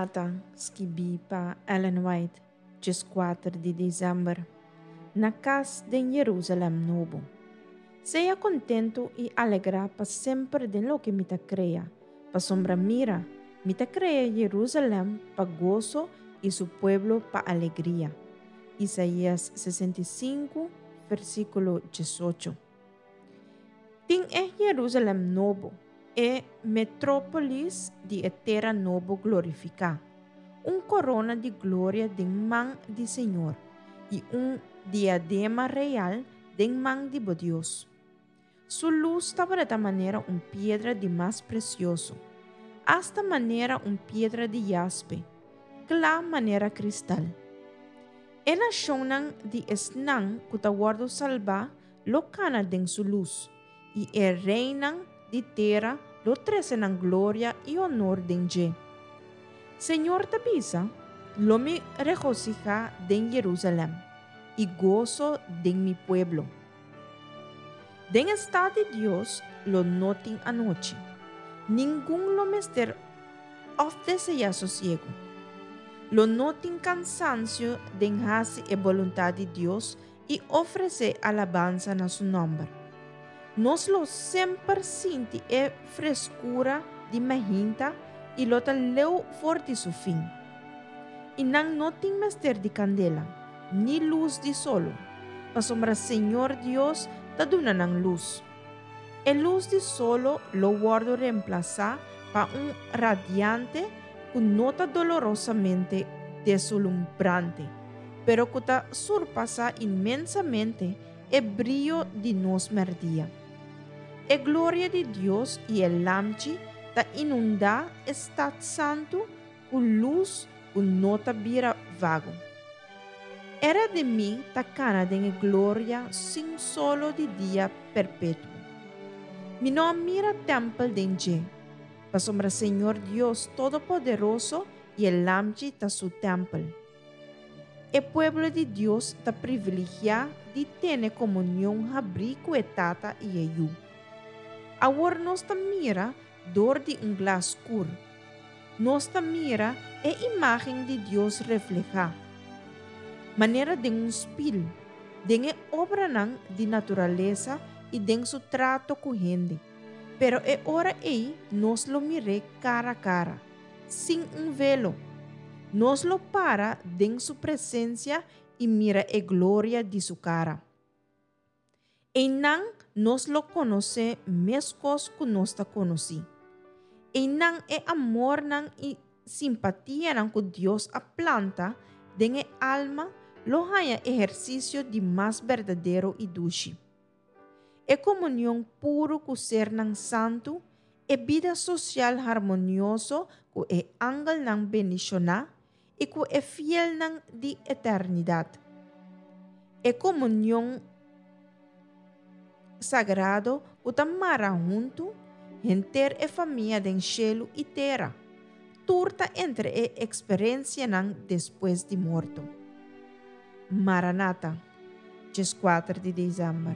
Maranata, skibí pa Ellen White, 14 di desèmber, na kas den Yerusalèm Nobo. Sea kontentu i alegrá pa semper den loke mi ta krea, pasobra mira, mi ta krea Yerusalèm pa goso i su pueblo pa alegria. Isaías 65, versíkulo 18. Tin e Jerusalem Nobo, e metrópolis di e tera nobo glorifiká, un korona di gloria den man di Señor i un diadema real den man di bo Dios. Su lus tabata manera un piedra di mas presioso, asta manera un piedra di jaspe, kla manera kristal. E nashonnan di esnan ku ta wòrdu salbá lo kana den su lus, i e reinan di tera lo trese nan gloria i honor den dje. Señor ta bisa, Lo mi regosihá den Jerusalèm i goso den mi pueblo. Den e stat di Dios lo no tin anochi. Ningun lo mester òf deseá sosiegu. Lo no tin kansansio den hasi e boluntat di Dios i ofresé alabansa na su nòmber. Nos lo semper sinti e freskura di mainta i lo ta leu for di su fin. I nan no tin mester di kandela, ni lus di solo, pasobra Señor Dios ta duna nan lus. E lus di solo lo wòrdu remplasá pa un radiante ku no ta dolorosamente deslumbrante, pero ku ta surpasá inmensamente e brio di nos mèrdia. E gloria di Dios i e Lamchi ta inundá e stat santu ku lus ku no ta bira vago. E redimí ta kana den e gloria sin solo di dia perpetuo. Mi no a mira tèmpel den dje, pasobra Señor Dios Todopoderoso i e Lamchi ta su tèmpel. E pueblo di Dios ta privilegiá di tene komunion habrí ku e Tata i e Yu. Awor nos ta mira dor di un glas skur. Nos ta mira e imágen di Dios reflehá, manera den un spil, den e obranan di naturalesa i den su trato ku hende. Pero e ora ei nos lo mir'é kara kara, sin un velo. Nos lo para den su presensia i mira e gloria di su kara. Einan nos lo konosé meskos ku nos ta konosí. Einan e amornan i simpatianan ku Dios a planta den e alma lo haña ehersisio di mas berdadero i dushi. E komunion puru ku sernan santu, e bida sosial harmonioso ku e angelnan bendishoná i ku e fielnan di eternidat. E komunion sagrado ku ta mara huntu henter e famia den shelu i tera, tur ta entre e eksperensianan despues di morto. Maranata! 14 di desèmber.